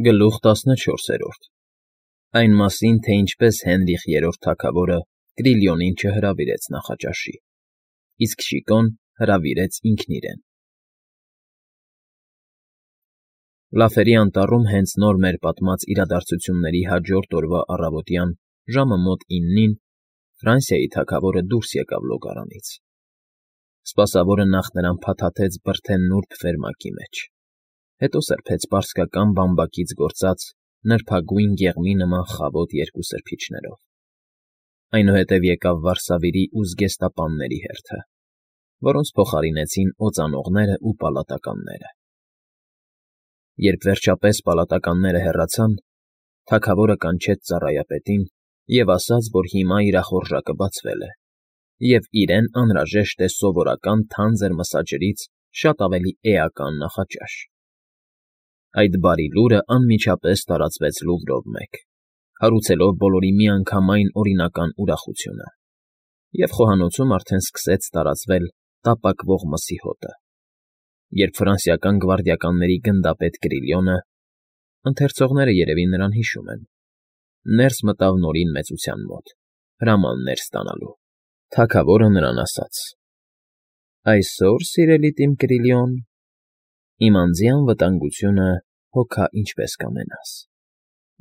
Գլուխ 14 Այն մասին, թե ինչպես Հենրիխ III թագավորը Կրիլիոնին չհրավիրեց նախաճաշի, իսկ Շիկոն հրավիրեց ինքն իրեն։ Լաֆերի անտառում հենց նոր մեր պատմած իրադարձությունների հաջորդ օրվա առավոտյան ժամը մոտ 9-ին Ֆրանսիայի թագավորը դուրս եկավ լոգարանից։ Սպասավորը նախ նրան փաթաթեց բրդե նուրբ ֆերմակի մեջ, հետո սրբեց պարսկական բամբակից գործած նրբագույն գեղմի նման խավոտ երկու սրբիչներով։ Այնուհետև եկավ վարսավիրի ու զգեստապանների հերթը, որոնց փոխարինեցին օծանողներն ու պալատականները։ Երբ վերջապես պալատականները հեռացան, թագավորը կանչեց ծառայապետին և ասաց, որ հիմա իրախորժակը բացվել է, և իրեն անհրաժեշտ է սովորական թանձր մսաջրից շատ ավելի էական նախաճաշ։ Այդ բարի լուրը անմիջապես տարածվեց Լուվրով մեկ, հարուցելով բոլորի միանգամայն օրինական ուրախությունը, և խոհանոցում արդեն սկսեց տարածվել տապակվող մսի հոտը, երբ ֆրանսիական գվարդիականների գնդապետ Կրիլիոնը (ընթերցողները երևի նրան հիշում են) ներս մտավ Նորին մեծության մոտ, հրամաններ ստանալու։ Թագավորը նրան ասաց. «Այսօր, սիրելի Տիմ Կրիլիոն, իմ անձի անվտանգությունը հոգա ինչպես կամենաս,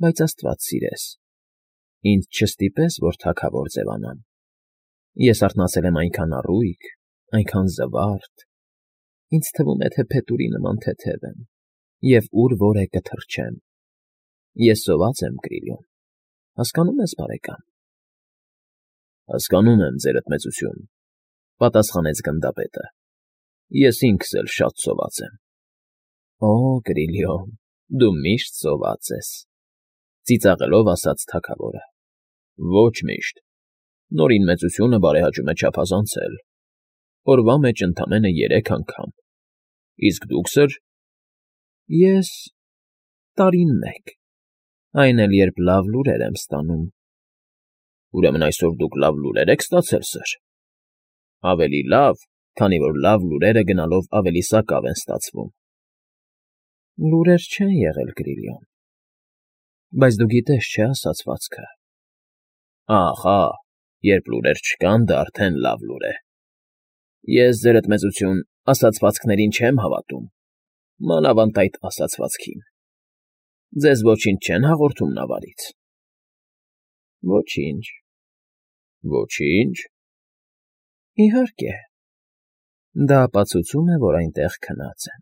բայց աստված սիրես, ինձ չստիպես, որ թագավոր ձևանամ։ Ես արթնացել եմ այնքան առույգ, այնքան զվարթ, ինձ թվում է, թե փետուրի նման թեթև եմ և ուր որ է կթռչեմ։ Ես սոված եմ, Կրիլիոն, հասկանո՞ւմ ես, բարեկամ»։ «Հասկանում եմ, ձերդ մեծություն,֊ պատասխանեց գնդապետը,֊ ես ինքս էլ շատ սոված եմ»։ «Օ, Կրիլիոն, դու միշտ սոված ես,֊ ծիծաղելով ասաց թագավորը։ «Ոչ միշտ. Նորին մեծությունը բարեհաճում է չափազանցել. օրվա մեջ ընդամենը 3 անգամ։ Իսկ դուք, սըր»։ «Ես… տարին մեկ, այն էլ երբ լավ լուրեր եմ ստանում»։ «Ուրեմն այսօր դուք լավ լուրեր եք ստացել, սըր»։ «Ավելի լավ, քանի որ լավ լուրերը գնալով ավելի սակավ են ստացվում»։ «Լուրեր չեն եղել, Կրիլիոն, բայց դու գիտես, չէ՞ ասացվածքը. «Ահա, երբ լուրեր չկան, դա արդեն լավ լուր է»։ Ես, ձերդ մեծություն, ասացվածքներին չեմ հավատում, մանավանդ այդ ասացվածքին։ Ձեզ ոչինչ չեն հաղորդում նավարից»։ «Ոչինչ»։ «Ոչինչ»։ «Իհարկե, դա ապացուցում է, որ այնտեղ քնած են»։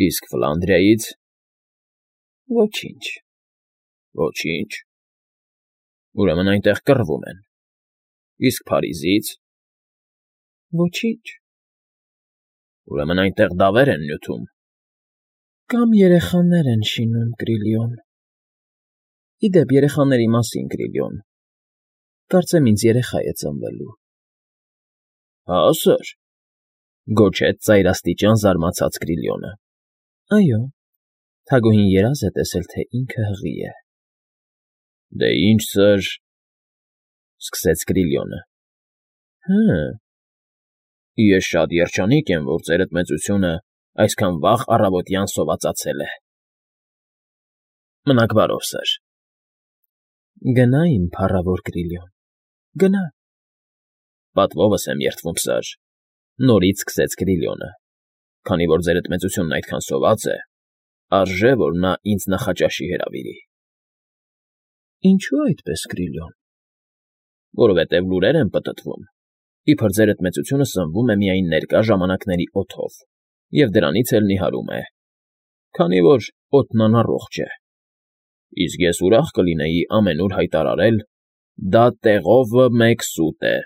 «Իսկ Ֆլանդրիայից»։ «Ոչինչ»։ «Ոչինչ։ Ուրեմն այնտեղ կռվում են։ Իսկ Փարիզից»։ «Ոչինչ»։ «Ուրեմն այնտեղ դավեր են նյութում»։ «Կամ երեխաներ են շինում, Կրիլիոն։ Ի դեպ, երեխաների մասին, Կրիլիոն, կարծեմ ինձ երեխա է ծնվելու»։ «Հա, սըր», գոչեց ծայրաստիճան զարմացած Կրիլիոնը։ «Այո, թագուհին երազ է տեսել, թե ինքը հղի է»։ «Դե ինչ, սըր,֊ սկսեց Կրիլիոնը,֊ հը… ես շատ երջանիկ եմ, որ ձերդ մեծությունը այսքան վաղ առավոտյան սովածացել է»։ «Մնաք բարով, սըր»։ «Գնա, իմ փառավոր Կրիլիոն, գնա»։ «Պատվովս եմ երդվում, սըր,֊ նորից սկսեց Կրիլիոնը,֊ քանի որ ձերդ մեծությունն այդքան սոված է, արժե, որ նա ինձ նախաճաշի հրավիրի»։ «Ինչո՞ւ այդպես, Կրիլիոն»։ «Որովհետև լուրեր են պտտվում, իբր ձերդ մեծությունը սնվում է միայն ներկա ժամանակների օդով և դրանից էլ նիհարում է, քանի որ օդն անառողջ է։ Իսկ ես ուրախ կլինեի ամենուր հայտարարել. դա տեղովը մեկ սուտ է.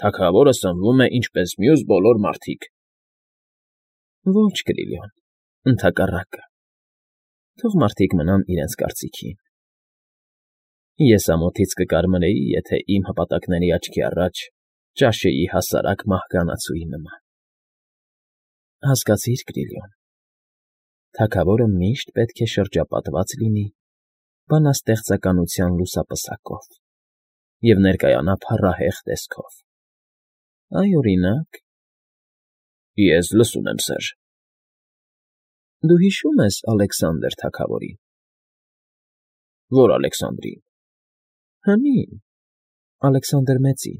թագավորը սնվում է ինչպես մյուս բոլոր մարդիկ»։ «Ոչ, Կրիլիոն, ընդհակառակը, թող մարդիկ մնան իրենց կարծիքին։ Ես ամոթից կկարմրեի, եթե իմ հպատակների աչքի առաջ ճաշեի հասարակ մահկանացուի նման։ Հասկացի՞ր, Կրիլիոն, թագավորը միշտ պետք է շրջապատված լինի բանաստեղծականության լուսապսակով և ներկայանա փառահեղ տեսքով։ Այ, օրինակ… «Ես լսում եմ, սըր»։ Դու հիշո՞ւմ ես Ալեքսանդր թագավորին։ Ո՞ր Ալեքսանդրին։ Հնին, Ալեքսանդր Մեծին։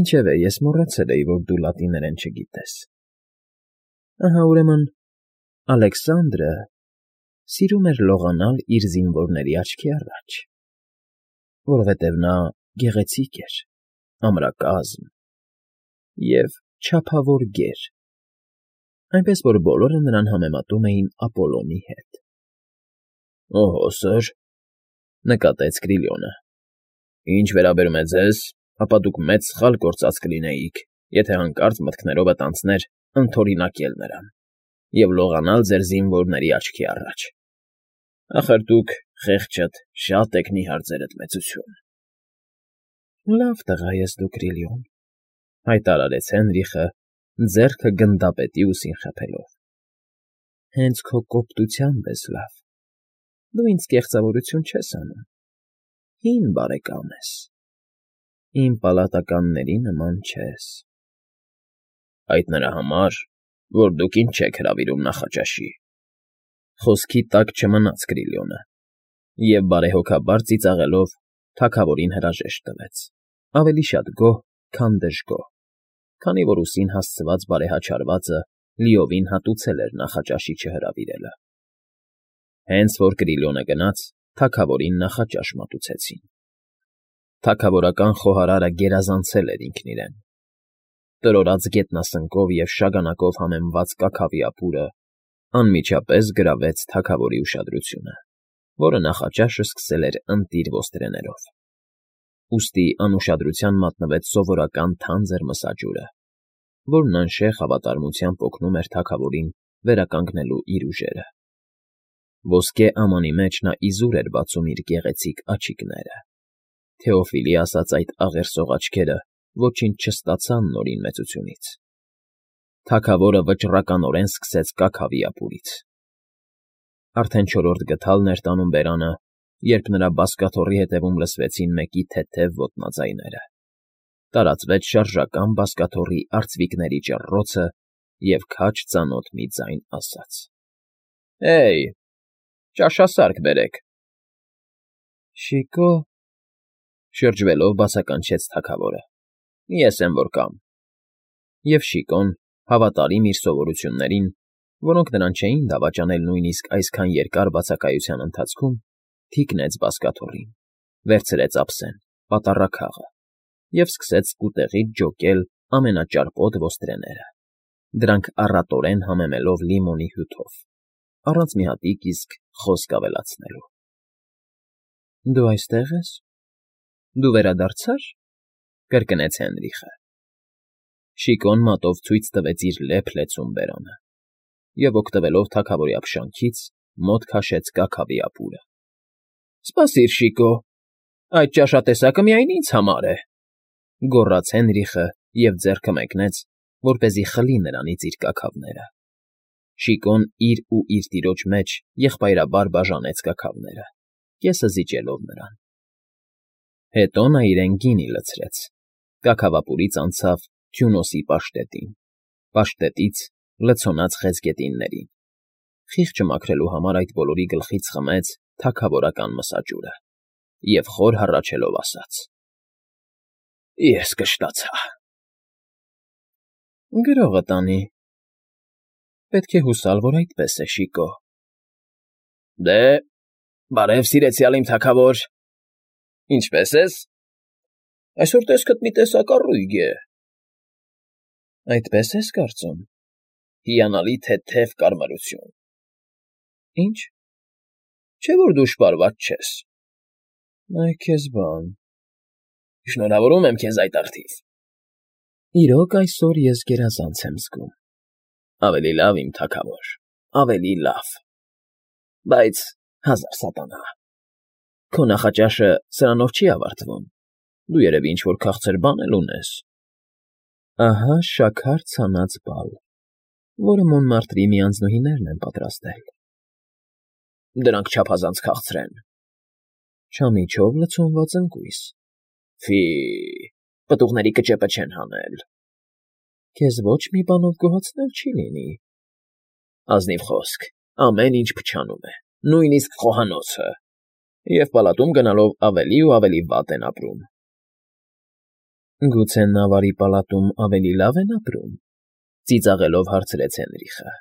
Ինչևէ, ես մոռացել էի, որ դու լատիներեն չգիտես։ Ահա, ուրեմն, Ալեքսանդրը սիրում էր լողանալ իր զինվորների աչքի առաջ, որովհետև նա գեղեցիկ էր, ամրակազմ և չափավոր գեր, այնպես որ բոլորը նրան համեմատում էին Ապոլոնի հետ։ ֊ Օհո, սըր,֊ նկատեց Կրիլիոնը,֊ ինչ վերաբերում է ձեզ, ապա դուք մեծ սխալ գործած կլինեիք, եթե հանկարծ մտքներովդ անցներ ընդօրինակել նրան և լողանալ ձեր զինվորների աչքի առաջ։ Ախր դուք, խեղճդ, շատ եք նիհար ձերդ մեծություն։ ֊ Լավ տղա ես դու, Կրիլիոն,֊ հայտարարեց Հենրիխը, ձեռքը գնդապետի ուսին խփելով,֊ հենց քո կոպտությամբ ես լավ, դու ինձ կեղծավորություն չես անում, հին բարեկամ ես, իմ պալատականների նման չես։ ֊ Այդ նրա համար, որ դուք ինձ չեք հրավիրում նախաճաշի,֊ խոսքի տակ չմնաց Կրիլիոնը և, բարեհոգաբար ծիծաղելով, թագավորին հրաժեշտ տվեց, ավելի շատ գոհ, քան դժգոհ, քանի որ ուսին հասցված բարեհաճարվածը լիովին հատուցել էր նախաճաշի չհրավիրելը։ Հենց որ Կրիլիոնը գնաց, թագավորին նախաճաշ մատուցեցին։ Թագավորական խոհարարը գերազանցել էր ինքն իրեն։ Տրորած գետնասնկով և շագանակով համեմված կաքավի ապուրը անմիջապես գրավեց թագավորի ուշադրությունը, որը նախաճաշը սկսել էր ընտիր ոստրեներով։ Ուստի անուշադրության մատնվեց սովորական թանձր մսաջուրը, որն անշեղ հավատարմությամբ օգնում էր թագավորին վերականգնելու իր ուժերը։ Ոսկե ամանի մեջ նա իզուր էր բացում իր գեղեցիկ աչիկները։ Թեոֆիլի ասած այդ աղերսող աչքերը ոչինչ չստացան Նորին մեծությունից։ Թագավորը վճռականորեն սկսեց կաքավի ապուրից։ Արդեն չորրորդ գդալն էր տանում բերանը, երբ նրա բազկաթոռի ետևում լսվեցին մեկի թեթև ոտնաձայները։ Տարածվեց շարժական բազկաթոռի արծվիկների ճռռոցը, և քաջ ծանոթ մի ձայն ասաց. «Հեյ, ճաշասարք բերեք»։ «Շիկո,֊ շրջվելով բացականչեց թագավորը,֊ ես եմ որ կամ»։ Եվ Շիկոն, հավատարիմ իր սովորություններին, որոնք նրան չէին դավաճանել նույնիսկ այսքան երկար բացակայության ընթացքում, թիկնեց բազկաթոռին, վերցրեց ափսեն, պատառաքաղը և սկսեց սկուտեղից ջոկել ամենաճարպոտ ոստրեները, դրանք առատորեն համեմելով լիմոնի հյութով, առանց մի հատիկ իսկ խոսք ավելացնելու։ ֊ Դու այստե՞ղ ես։ Դու վերադարձա՞ր,֊ կրկնեց Հենրիխը։ Շիկոն մատով ցույց տվեց իր լեփ֊լեցուն բերանը և, օգտվելով թագավորի ապշանքից, մոտ քաշեց կաքավի ապուրը։ ֊ Սպասիր, Շիկո, այդ ճաշատեսակը միայն ինձ համար է,֊ գոռաց Հենրիխը և ձեռքը մեկնեց, որպեսզի խլի նրանից իր կաքավները։ Շիկոն իր ու իր տիրոջ մեջ եղբայրաբար բաժանեց կաքավները, կեսը զիջելով նրան։ Հետո նա իրեն գինի լցրեց, կաքավապուրից անցավ Թյունոսի պաշտետին, պաշտետից լցոնած խեցգետիններին, խիղճը մաքրելու համար այդ բոլորի գլխից խմեց թագավորական մսաջուրը և խոր հառաչելով ասաց. «Ես կշտացա»։ ֊ Գրողը տանի։ Պետք է հուսալ, որ այդպես է, Շիկո։ ֊ Դե, բարև սիրեցյալ իմ թագավոր, ինչպե՞ս ես։ Այսօր տեսքդ մի տեսակ առույգ է։ ֊ Այդպես ես կարծում։ ֊ Հիանալի թեթև կարմրություն։ ֊ Ի՞նչ։ Չէ՞ որ դու շպարված չես։ ֊ Այ քեզ բան։ ֊ Շնորհավորում եմ քեզ այդ առթիվ։ ֊ Իրոք, այսօր ես գերազանց եմ զգում։ ֊ Ավելի լավ, իմ թագավոր, ավելի լավ։ Բայց, հազար սատանա, քո նախաճաշը սրանով չի ավարտվում, դու երևի ինչ֊որ քաղցր բան էլ ունես։ ֊ Ահա շաքար ցանած բալ, որը Մոնմարտրի մի անձնուհիներն են պատրաստել։ ֊ Դրանք չափազանց քաղցր են։ ֊ Չամիչով լցոնված ընկույզ։ ֊ Ֆի՛, պտուղների կճեպը չեն հանել։ ֊ Քեզ ոչ մի բանով գոհացնել չի լինի։ Ազնիվ խոսք, ամեն ինչ փչանում է, նույնիսկ խոհանոցը, և պալատում գնալով ավելի ու ավելի վատ են ապրում։ Գուցե նավարի պալատում ավելի լավ են ապրում, ծիծաղելով հարցրեց Հենրիխը։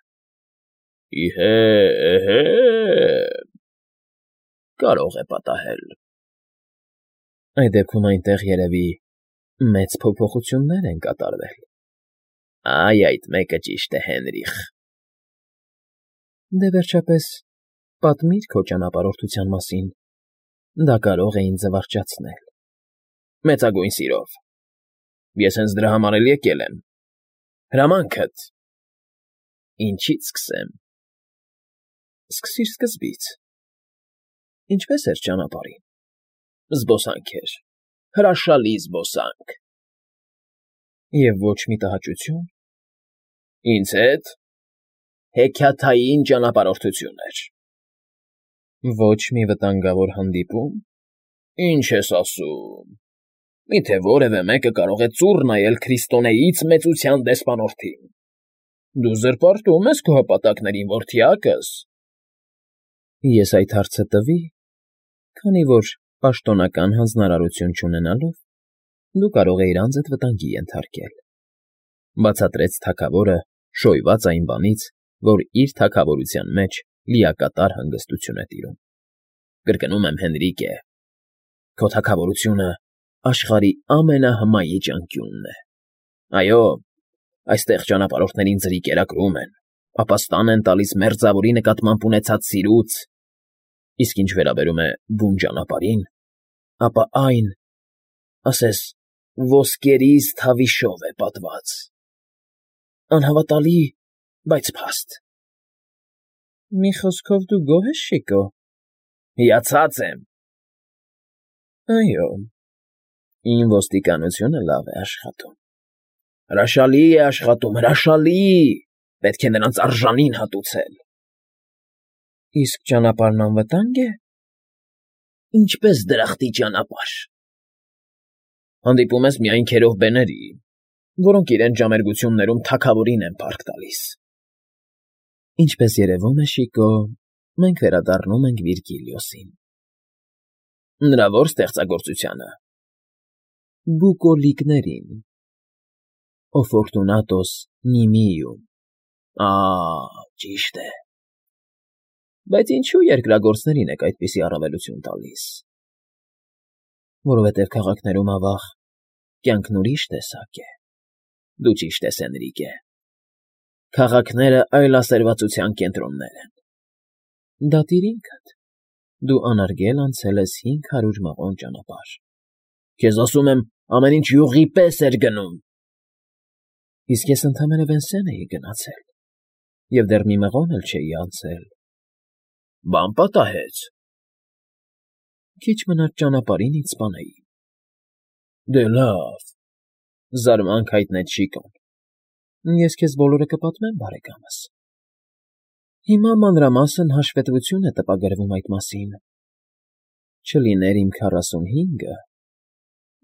Իհե, կարող է պատահել։ Այդ դեպքում այնտեղ երևի մեծ փոփոխություններ են կատարվել։ Այ այդ մեկը ճիշտ է, Հենրիխ։ Դե վերջապես պատմիր քո ճանապարհորդության մասին, դա կարող է ինձ զվարճացնել։ Մեծագույն սիրով։ Ես հենց դրա համար էլ եկել եմ։ Հրամանքդ։ Ինչից սկսեմ։ Սկսիր սկզբից։ Ինչպես էր ճանապարհին։ Զբոսանք էր, հրաշալի զբոսանք։ Եվ ոչ մի տհաճություն։ Ինձ հետ հեքիաթային ճանապարհորդություն էր։ Ոչ մի վտանգավոր հանդիպում։ Ինչ ես ասում։ Միթե որևէ մեկը կարող է ծուռ նայել Քրիստոնեից մեծության դեսպանորդին։ Դու զրպարտում ես քո հպատակներին, որդյակս։ Ես այդ հարցը տվի, քանի որ պաշտոնական հանձնարարություն չունենալով, դու կարող էիր անձդ վտանգի ենթարկել, բացատրեց թագավորը, շոյված այն բանից, որ իր թագավորության մեջ լիակատար հանգստություն է տիրում։ Կրկնում եմ, Հենրիկե, քո թագավորությունը աշխարհի ամենահմայիչ անկյունն է։ Այո, այստեղ ճանապարհորդներին ձրի կերակրում են, ապաստան են տալիս մերձավորի նկատմամբ ունեցած սիրուց, իսկ ինչ վերաբերում է բուն ճանապարհին, ապա այն, ասես, ոսկերից թավիշով է պատված։ Անհավատալի, բայց փաստ։ Մի խոսքով դու գոհ ես, Շիկո։ Հիացած եմ։ Այո, իմ ոստիկանությունը լավ է աշխատում։ Հրաշալի է աշխատում, հրաշալի, պետք է նրանց արժանին հատուցել։ Իսկ ճանապարհն անվտա՞նգ է։ Ինչպես դրախտի ճանապարհ։ Հանդիպում ես միայն քերով բեների, որոնք իրենց ժամերգություններում թագավորին են փառք տալիս։ Ինչպես երևում է, Շիկո, մենք վերադառնում ենք Վիրգիլիոսին։ Նրա ո՞ր ստեղծագործությանը։ Բուկոլիկներին։ Ո Ֆորտունատոս Նիմիում։ Ճիշտ է։ Բայց ինչու երկրագործներին եք այդպիսի առավելություն տալիս։ Որովհետև քաղաքներում ավաղ կյանքն ուրիշ տեսակ է։ Դու ճիշտ ես, Հենրիկե։ Քաղաքները այլասերվածության կենտրոններ են։ Դատիր ինքդ։ Դու անարգել անցել ես 500 մղոն ճանապարհ։ Քեզ ասում եմ, ամեն ինչ յուղի պես էր գնում։ Իսկ ես ընդամենը Վենսեն էի գնացել, և դեռ մի մղոն էլ չէի անցել։ Բան պատահեց։ Քիչ մնաց ճանապարհին ինձ սպանեին։ Դե լավ, զարմանք հայտնեց Շիկոն։ Ես քեզ բոլորը կպատմեմ, բարեկամս։ Հիմա մանրամասն հաշվետվություն է տպագրվում այդ մասին։ Չլիներ իմ 45-ը,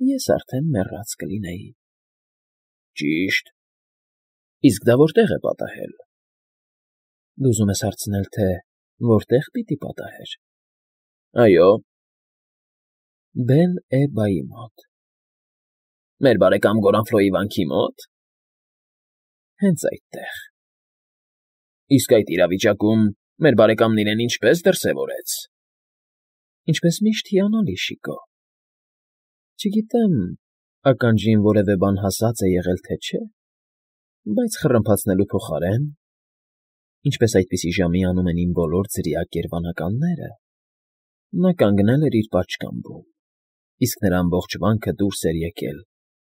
ես արդեն մեռած կլինեի։ Ճիշտ։ Իսկ դա որտեղ է պատահել։ Դու ուզում ես հարցնել, թե որտեղ պիտի պատահեր։ Այո։ Բել-Էբայի մոտ։ Մեր բարեկամ Գորանֆլոյի վանքի մոտ։ Հենց այդտեղ։ Իսկ այդ իրավիճակում մեր բարեկամն իրեն ինչպես դրսևորեց։ Ինչպես միշտ հիանալի, Շիկո։ Չգիտեմ, ականջին որևէ բան հասած է եղել, թե չէ, բայց խռմփացնելու փոխարեն, ինչպես այդպիսի ժամի անում են իմ բոլոր ձրիակ երևանականները, նա կանգնել էր իր պատշգամբում, իսկ նրա ամբողջ վանքը դուրս էր եկել,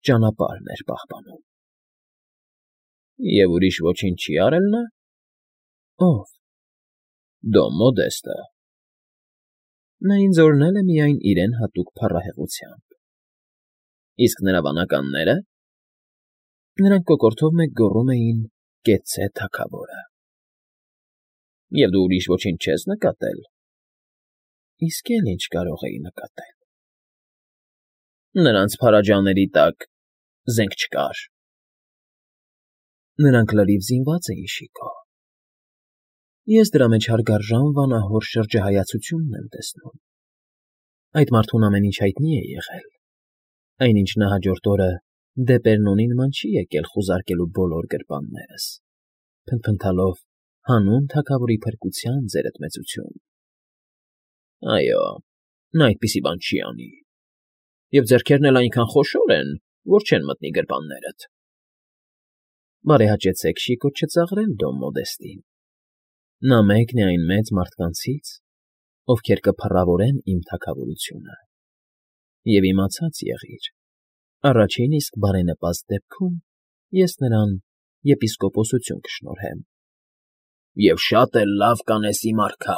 ճանապարհն էր պահպանում։ Եվ ուրիշ ոչինչ չի արել նա։ Ո՞վ։ Դոն Մոդեստը։ Նա ինձ օրհնել է միայն իրեն հատուկ փառահեղությամբ։ Իսկ նրա վանականնե՞րը։ Նրանք կոկորդով մեկ գոռում էին «Կեցցե թագավորը»։ Եվ դու ուրիշ ոչինչ չես նկատել։ Իսկ էլ ինչ կարող էի նկատել։ Նրանց փարաջանների տակ զենք չկար։ Նրանք լրիվ զինված էին, Շիկո։ Ես դրա մեջ հարգարժան վանահոր շրջահայացությունն եմ տեսնում։ Այդ մարդուն ամեն ինչ հայտնի է եղել, այնինչ նա հաջորդ օրը Դեպերնոնի նման չի եկել խուզարկելու բոլոր գրպաններս, փնթփնթալով հանուն թագավորի փրկության, ձերդ մեծություն։ Այո, նա այդպիսի բան չի անի, և ձեռքերն էլ այնքան խոշոր են, որ չեն մտնի գրպաններդ։ Բարեհաճեցեք շիկոտ չծաղրել, Դոն Մոդեստին. նա մեկն է այն մեծ մարդկանցից, ովքեր կփառավորեն իմ թագավորությունը, և իմացած եղիր, առաջին իսկ բարենպաստ դեպքում ես նրան եպիսկոպոսություն կշնորհեմ։ ֊ Եվ շատ էլ լավ կանես, իմ արքա,